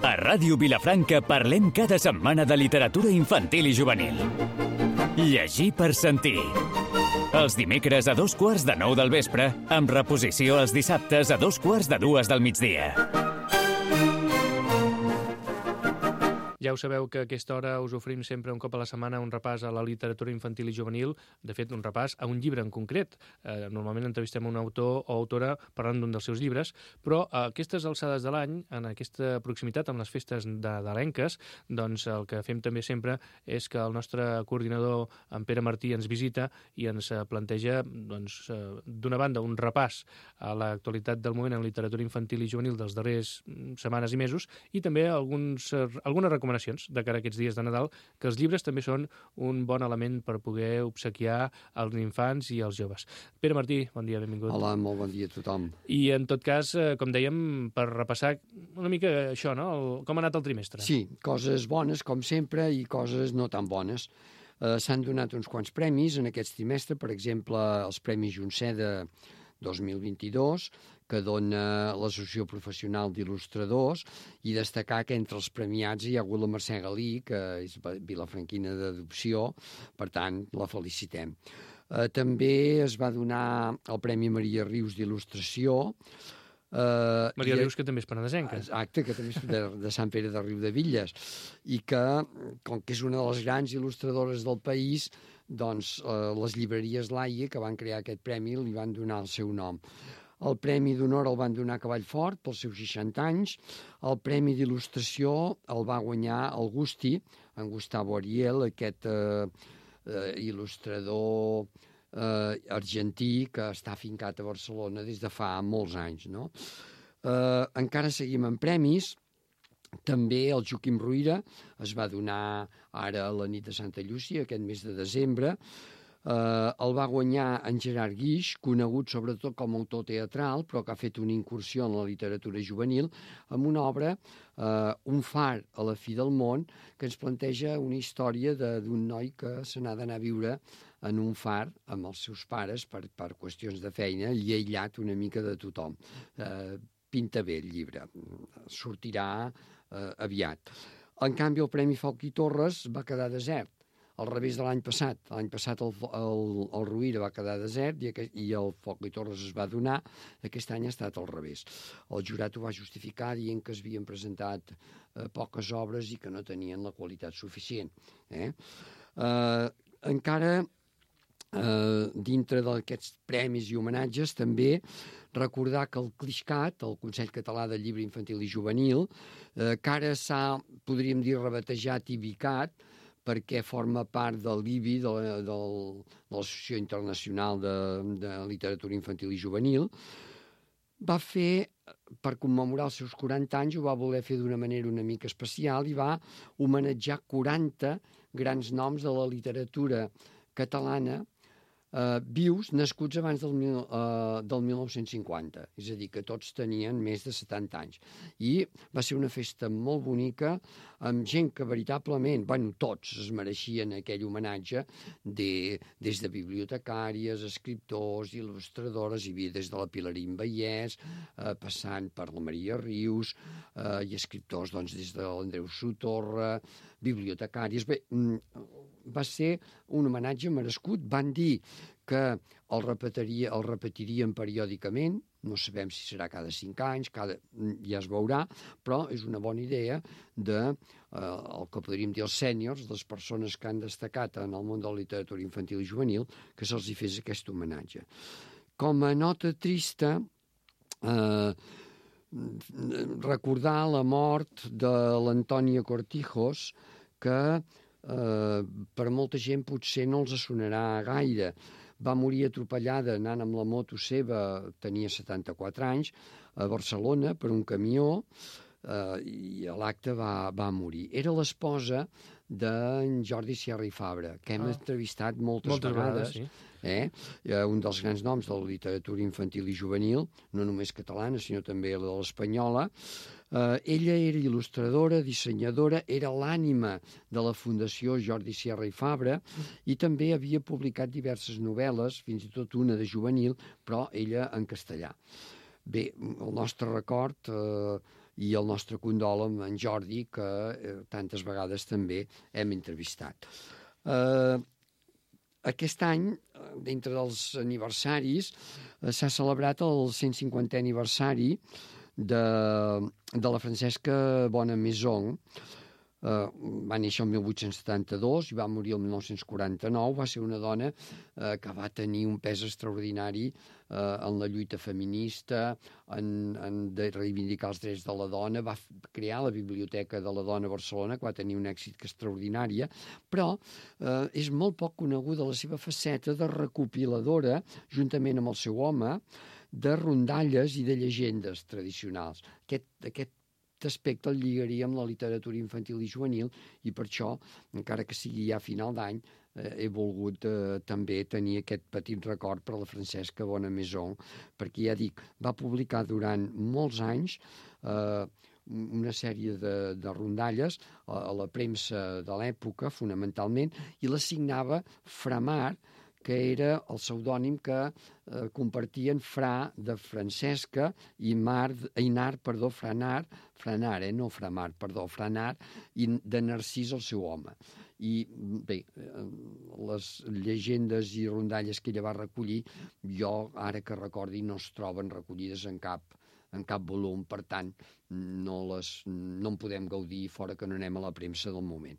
A Ràdio Vilafranca parlem cada setmana de literatura infantil i juvenil. Llegir per sentir. Els dimecres a 8:45 del vespre, amb reposició els dissabtes a 2:45 del migdia. Ja ho sabeu que a aquesta hora us oferim sempre un cop a la setmana un repàs a la literatura infantil i juvenil, de fet un repàs a un llibre en concret. Normalment entrevistem un autor o autora parlant d'un dels seus llibres, però a aquestes alçades de l'any, en aquesta proximitat amb les festes nadalenques, doncs el que fem també sempre és que el nostre coordinador, en Pere Martí, ens visita i ens planteja, doncs, d'una banda, un repàs a l'actualitat del moment en literatura infantil i juvenil dels darrers setmanes i mesos, i també algunes recomanacions de cara a aquests dies de Nadal, que els llibres també són un bon element per poder obsequiar als infants i als joves. Pere Martí, bon dia, benvingut. Hola, molt bon dia a tothom. I en tot cas, com dèiem, per repassar una mica això, no? Com ha anat el trimestre? Sí, coses bones, com sempre, i coses no tan bones. S'han donat uns quants premis en aquest trimestre, per exemple, els Premis Junceda 2022, que dona l'Associació Professional d'Il·lustradors, i destacar que entre els premiats hi ha hagut la Mercè Galí, que és vilafranquina d'adopció, per tant, la felicitem. També es va donar el Premi Maria Rius d'Il·lustració. Maria Rius, que també és penedesenca. Exacte, que també és de Sant Pere de Riudevilles, i que, com que és una de les grans il·lustradores del país, doncs les llibreries Laia, que van crear aquest premi, li van donar el seu nom. El Premi d'Honor el van donar a Cavallfort pels seus 60 anys. El Premi d'Il·lustració el va guanyar el Gusti, en Gustavo Ariel, aquest il·lustrador argentí que està afincat a Barcelona des de fa molts anys, no? Encara seguim amb premis. També el Joaquim Ruyra es va donar ara a la nit de Santa Llúcia, aquest mes de desembre. El va guanyar en Gerard Guix, conegut sobretot com a autor teatral, però que ha fet una incursió en la literatura juvenil, amb una obra, Un far a la fi del món, que ens planteja una història d'un noi que se n'ha d'anar a viure en un far amb els seus pares per qüestions de feina, i aïllat una mica de tothom. Pinta bé el llibre, sortirà aviat. En canvi, el Premi Folch i Torres va quedar desert, al revés de l'any passat. L'any passat el Rovira va quedar desert i el Folch i Torres es va donar. Aquest any ha estat al revés. El jurat ho va justificar dient que es havien presentat poques obres i que no tenien la qualitat suficient. Encara dintre d'aquests premis i homenatges, també recordar que el CLIXCAT, el Consell Català del Llibre Infantil i Juvenil, que ara s'ha, podríem dir, rebatejat IBICAT, perquè forma part de l'IBI, de l'Associació Internacional de Literatura Infantil i Juvenil, va fer, per commemorar els seus 40 anys, ho va voler fer d'una manera una mica especial i va homenatjar 40 grans noms de la literatura catalana vius, nascuts abans del 1950, és a dir, que tots tenien més de 70 anys. I va ser una festa molt bonica, amb gent que veritablement, tots es mereixien aquell homenatge, des de bibliotecàries, escriptors, il·lustradores, hi havia des de la Pilarín Vallès, passant per la Maria Rius, i escriptors des de l'Andreu Sotorra, bibliotecàries. Bé, va ser un homenatge merescut. Van dir que el repetirien periòdicament, no sabem si serà cada 5 anys, ja es veurà, però és una bona idea el que podríem dir els sèniors, les persones que han destacat en el món de la literatura infantil i juvenil, que se'ls hi fes aquest homenatge. Com a nota trista, recordar la mort de l'Antònia Cortijos, que per molta gent potser no els sonarà gaire. Va morir atropellada anant amb la moto seva, tenia 74 anys, a Barcelona per un camió, i a l'acte va morir. Era l'esposa d'en Jordi Sierra i Fabra, que hem entrevistat moltes vegades, sí. Un dels grans noms de la literatura infantil i juvenil, no només catalana, sinó també la de l'espanyola. Ella era il·lustradora, dissenyadora, era l'ànima de la Fundació Jordi Sierra i Fabra, i també havia publicat diverses novel·les, fins i tot una de juvenil, però ella en castellà. Bé, el nostre record i el nostre condol amb en Jordi, que tantes vegades també hem entrevistat. Aquest any, dintre dels aniversaris, s'ha celebrat el 150è aniversari de la Francesca Bonamaison. Va néixer el 1872 i va morir el 1949. Va ser una dona que va tenir un pes extraordinari en la lluita feminista, de reivindicar els drets de la dona. Va crear la Biblioteca de la Dona a Barcelona, que va tenir un èxit extraordinari, però és molt poc coneguda la seva faceta de recopiladora, juntament amb el seu home, de rondalles i de llegendes tradicionals. Aquest aspecte el lligaria amb la literatura infantil i juvenil i per això, encara que sigui ja a final d'any, he volgut també tenir aquest petit record per a la Francesca Bonamaison, perquè ja dic, va publicar durant molts anys una sèrie de rondalles a la premsa de l'època, fonamentalment, i la signava Framar, que era el pseudònim que compartien Fra de Francesca i Franar, i de Narcís, el seu home. I bé, les llegendes i rondalles que ella va recollir, jo, ara que recordi, no es troben recollides en cap volum, per tant, no en podem gaudir fora que no anem a la premsa del moment.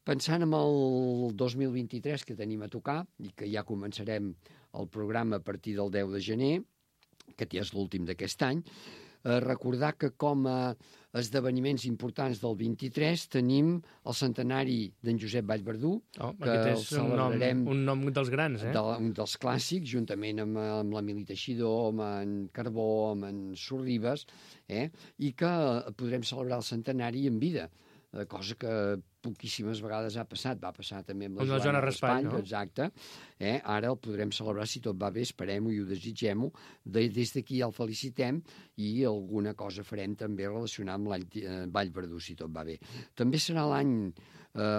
Pensant en el 2023 que tenim a tocar i que ja començarem el programa a partir del 10 de gener, que ja és l'últim d'aquest any, recordar que com a esdeveniments importants del 23 tenim el centenari d'en Josep Vallverdú, que el celebrarem... Un nom dels grans, un dels clàssics, juntament amb l'Emili Teixidor, amb en Carbó, amb en Sorribes, i que podrem celebrar el centenari en vida, cosa que poquíssimes vegades ha passat. Va passar també amb la Joana Raspall, no? Exacte. Ara el podrem celebrar, si tot va bé, esperem-ho i ho desitgem-ho. Des d'aquí el felicitem i alguna cosa farem també relacionada amb l'any Vallverdú, si tot va bé. També serà l'any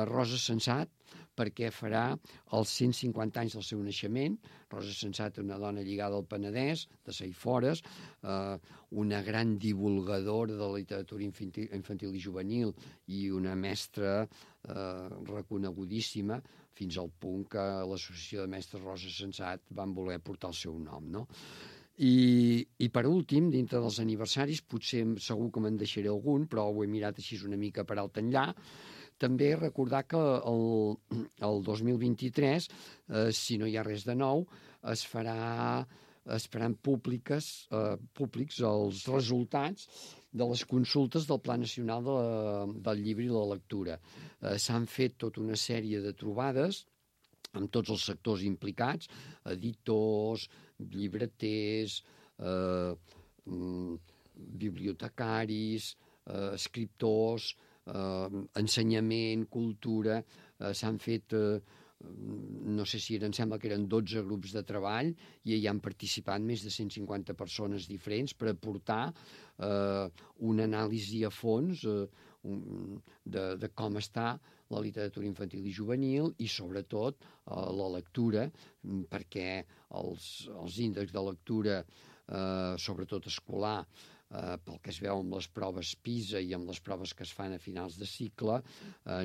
Rosa Sensat, perquè farà els 150 anys del seu naixement. Rosa Sensat, una dona lligada al Penedès, de Saifores, una gran divulgadora de la literatura infantil i juvenil i una mestra reconegudíssima, fins al punt que l'Associació de Mestres Rosa Sensat van voler portar el seu nom, no? I per últim, dintre dels aniversaris, potser segur que me'n deixaré algun, però ho he mirat així una mica per alt enllà. També recordar que el 2023, si no hi ha res de nou, es faran públics els resultats de les consultes del Pla Nacional del Llibre i la Lectura. S'han fet tota una sèrie de trobades amb tots els sectors implicats, editors, llibreters, bibliotecaris, escriptors, ensenyament, cultura. S'han fet, no sé si em sembla que eren 12 grups de treball i hi han participat més de 150 persones diferents per aportar una anàlisi a fons de com està la literatura infantil i juvenil i sobretot la lectura, perquè els índexs de lectura, sobretot escolar, pel que es veu amb les proves PISA i amb les proves que es fan a finals de cicle,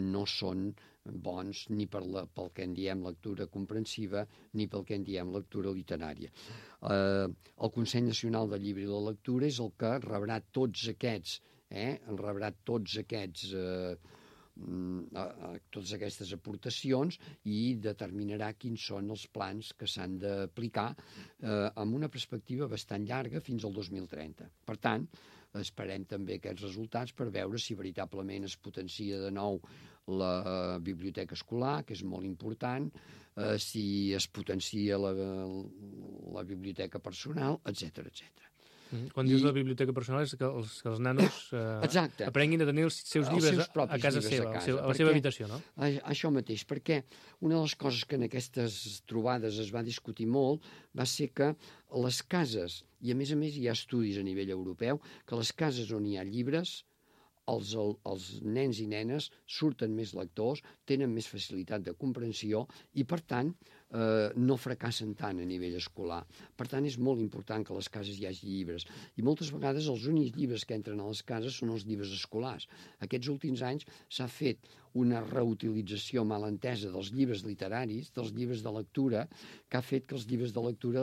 no són bons ni pel que en diem lectura comprensiva ni pel que en diem lectura literària. El Consell Nacional del Llibre i la Lectura és el que rebrà tots aquests, totes aquestes aportacions i determinarà quins són els plans que s'han d'aplicar amb una perspectiva bastant llarga fins al 2030. Per tant, esperem també aquests resultats per veure si veritablement es potencia de nou la biblioteca escolar, que és molt important, si es potencia la biblioteca personal, etc. Quan dius la biblioteca personal és que els nanos aprenguin a tenir els seus llibres a casa seva, a la seva habitació, no? Això mateix, perquè una de les coses que en aquestes trobades es va discutir molt va ser que les cases, i a més hi ha estudis a nivell europeu, que les cases on hi ha llibres, els nens i nenes surten més lectors, tenen més facilitat de comprensió i, per tant, no fracassen tant a nivell escolar. Per tant, és molt important que a les cases hi hagi llibres. I moltes vegades els únics llibres que entren a les cases són els llibres escolars. Aquests últims anys s'ha fet una reutilització mal entesa dels llibres literaris, dels llibres de lectura, que ha fet que els llibres de lectura,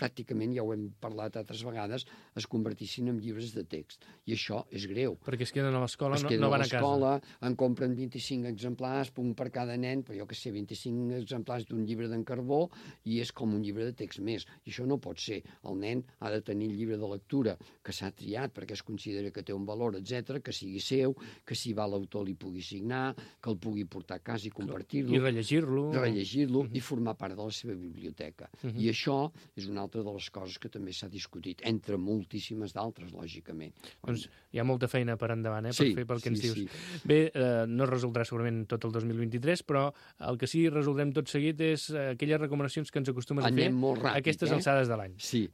pràcticament, ja ho hem parlat altres vegades, es convertissin en llibres de text. I això és greu. Perquè es queden a l'escola, no van a casa. En compren 25 exemplars, un per cada nen, però jo que sé, 25 exemplars d'un llibre d'en Carbó, i és com un llibre de text més. I això no pot ser. El nen ha de tenir el llibre de lectura que s'ha triat perquè es considera que té un valor, etc, que sigui seu, que si va l'autor li pugui signar, que el pugui portar a casa i compartir-lo. I rellegir-lo. I formar part de la seva biblioteca. I això és una altra de les coses que també s'ha discutit, entre moltíssimes d'altres, lògicament. Doncs hi ha molta feina per endavant, per fer pel que ens dius. Sí. Bé, no es resoldrà segurament tot el 2023, però el que sí resoldrem tot seguit és aquelles recomanacions que ens acostumes a fer ràpid, a aquestes alçades de l'any. Sí.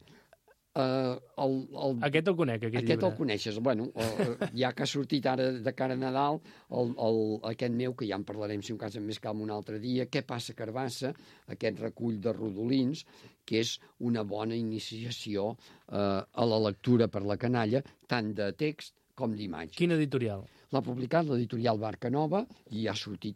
Aquest el conec, aquest llibre. Aquest el coneixes. Bueno, ja que ha sortit ara de cara a Nadal, aquest meu, que ja en parlarem si un cas amb més calma un altre dia, Què passa, Carbassa, aquest recull de rodolins, que és una bona iniciació a la lectura per la canalla, tant de text com d'imatge. Quin editorial? L'ha publicat l'editorial Barca Nova i va sortir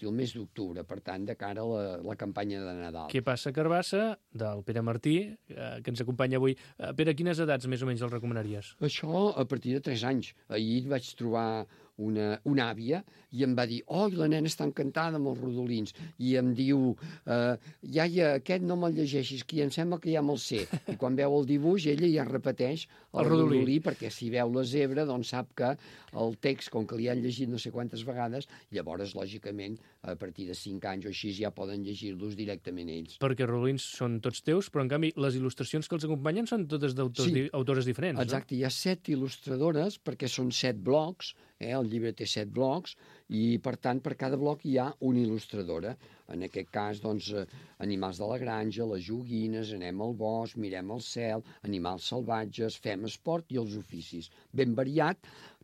el mes d'octubre, per tant, de cara a la campanya de Nadal. Què passa, Carbassa, del Pere Martí, que ens acompanya avui. Pere, quines edats més o menys el recomanaries? Això a partir de 3 anys. Ahir vaig trobar una àvia i em va dir, la nena està encantada amb els rodolins, i em diu, iaia, aquest no me'l llegeixis, que em sembla que ja me'l sé. I quan veu el dibuix, ella ja repeteix el rodolí, perquè si veu la zebra, doncs sap que el text, com que li han llegit no sé quantes vegades, llavors, lògicament, a partir de 5 anys o així ja poden llegir-los directament ells. Perquè els rodolins són tots teus, però en canvi les il·lustracions que els acompanyen són totes d'autores diferents, exacte, no? Hi ha 7 il·lustradores, perquè són 7 blocs, el llibre té 7 blocs, i per tant per cada bloc hi ha una il·lustradora. En aquest cas, doncs, animals de la granja, les joguines, anem al bosc, mirem el cel, animals salvatges, fem esport i els oficis. Ben variat,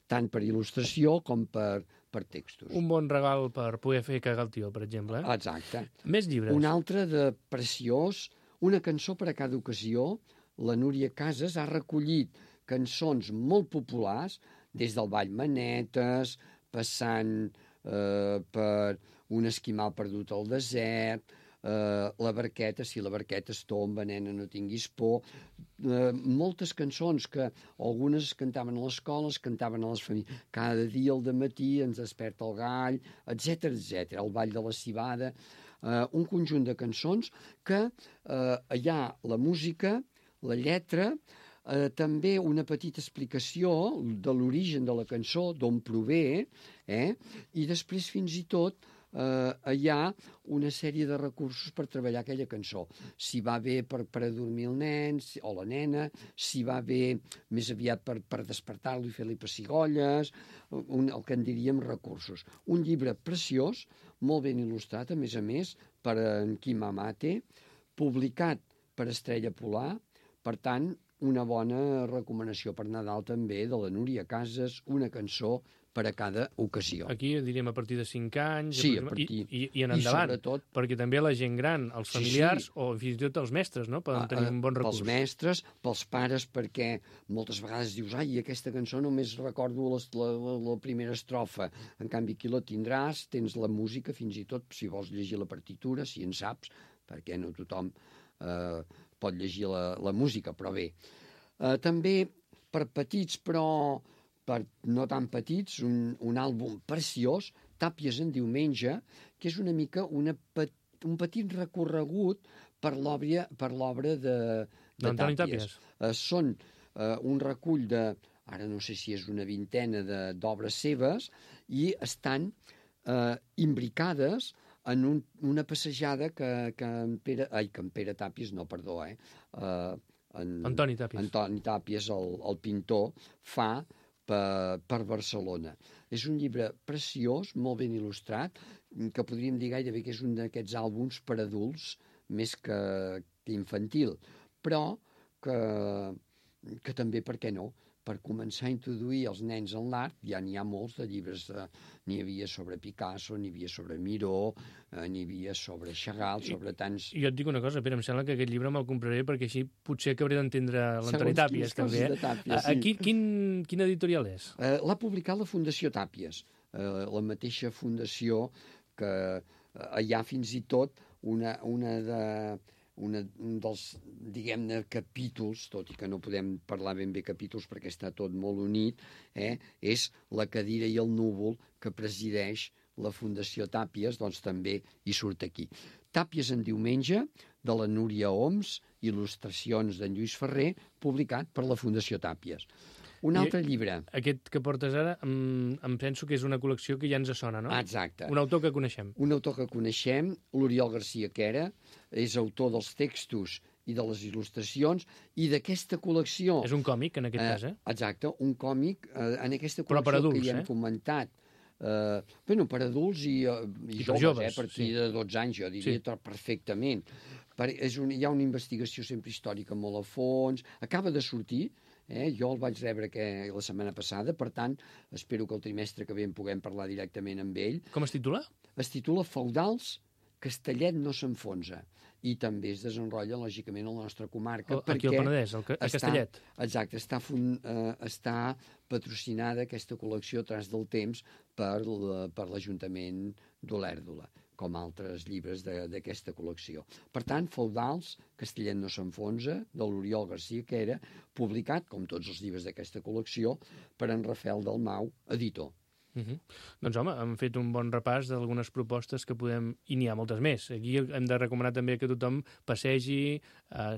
tant per il·lustració com per textos. Un bon regal per poder fer cagar el tio, per exemple. Exacte. Més llibres. Un altre de preciós, Una cançó per a cada ocasió. La Núria Casas ha recollit cançons molt populars, des del ball Manetes, passant per Un esquimal perdut al desert, La barqueta, si la barqueta es tomba, nena, no tinguis por. Moltes cançons que algunes es cantaven a l'escola, es cantaven a les famílies. Cada dia al dematí ens desperta el gall, etc etc. El ball de la civada. Un conjunt de cançons que hi ha la música, la lletra, també una petita explicació de l'origen de la cançó, d'on prové, i després fins i tot hi ha una sèrie de recursos per treballar aquella cançó. Si va bé per adormir el nen o la nena, si va bé més aviat per despertar-lo i fer-li pessigolles, el que en diríem recursos. Un llibre preciós, molt ben il·lustrat, a més, per en Quim Amate, publicat per Estrella Polar, per tant, una bona recomanació per Nadal també de la Núria Casas, una cançó per a cada ocasió. Aquí diríem a partir de 5 anys, sí, a partir... i en endavant, sobretot, perquè també la gent gran, els familiars, o fins i tot els mestres, no? Poden tenir un bon recurs. Pels mestres, pels pares, perquè moltes vegades dius, aquesta cançó només recordo la primera estrofa, en canvi aquí la tindràs, tens la música, fins i tot, si vols llegir la partitura, si en saps, perquè no tothom pot llegir la música, però bé. També per petits, però per no tan petits, un àlbum preciós, Tàpies en diumenge, que és una mica un petit recorregut per l'obra de Tàpies. Són un recull de, ara no sé si és una vintena d'obres seves, i estan imbricades en una passejada que en Pere Tàpies, no, perdó, Antoni Tàpies, el pintor, fa per Barcelona. És un llibre preciós, molt ben il·lustrat, que podríem dir gairebé que és un d'aquests àlbums per adults més que infantil, però que també, per què no, per començar a introduir els nens en l'art. Ja n'hi ha molts de llibres, n'hi havia sobre Picasso, n'hi havia sobre Miró, n'hi havia sobre Chagall, sobre tants... I jo et dic una cosa, Pere, em sembla que aquest llibre me'l compraré perquè així potser acabaré d'entendre l'Antoni Tàpies, també. Sí. Quin editorial és? L'ha publicat la Fundació Tàpies, la mateixa fundació que hi ha fins i tot un dels, diguem-ne, capítols, tot i que no podem parlar ben bé capítols perquè està tot molt unit, és La cadira i el núvol, que presideix la Fundació Tàpies, doncs també hi surt aquí. Tàpies en diumenge, de la Núria Oms, il·lustracions d'en Lluís Ferrer, publicat per la Fundació Tàpies. Un altre llibre. Aquest que portes ara, em penso que és una col·lecció que ja ens sona, no? Exacte. Un autor que coneixem. Un autor que coneixem, l'Oriol García Quera, és autor dels textos i de les il·lustracions, i d'aquesta col·lecció... És un còmic, en aquest cas, Exacte, un còmic en aquesta col·lecció. Però per adults, que ja hem comentat. Per adults i joves, a partir de 12 anys, jo diria perfectament. Hi ha una investigació sempre històrica molt a fons, acaba de sortir, jo el vaig rebre la setmana passada, per tant, espero que el trimestre que ve en puguem parlar directament amb ell. Com es titula? Es titula Feudals, Castellet no s'enfonsa, i també es desenrotlla, lògicament, a la nostra comarca. Aquí al Penedès, a Castellet. Exacte, està patrocinada aquesta col·lecció Tras del Temps per l'Ajuntament d'Olèrdola, com altres llibres d'aquesta col·lecció. Per tant, Feudals, Castellet no s'enfonsa, de l'Oriol García Quera, publicat, com tots els llibres d'aquesta col·lecció, per en Rafael Dalmau, editor. Doncs home, hem fet un bon repàs d'algunes propostes que podem... I n'hi ha moltes més. Aquí hem de recomanar també que tothom passegi,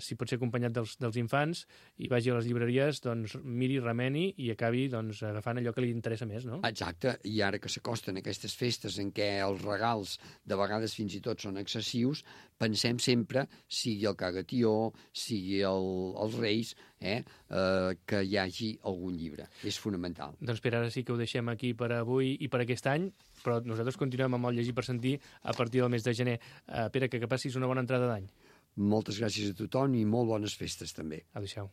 si pot ser acompanyat dels infants, i vagi a les llibreries, doncs miri, remeni i acabi agafant allò que li interessa més, no? Exacte, i ara que s'acosten aquestes festes en què els regals de vegades fins i tot són excessius, pensem sempre, sigui el Cagatió, sigui els Reis, que hi hagi algun llibre. És fonamental. Doncs per ara sí que ho deixem aquí per avui i per aquest any, però nosaltres continuem amb el Llegir per Sentir a partir del mes de gener. Pere, que passis una bona entrada d'any. Moltes gràcies a tothom i molt bones festes també. Adéu-siau.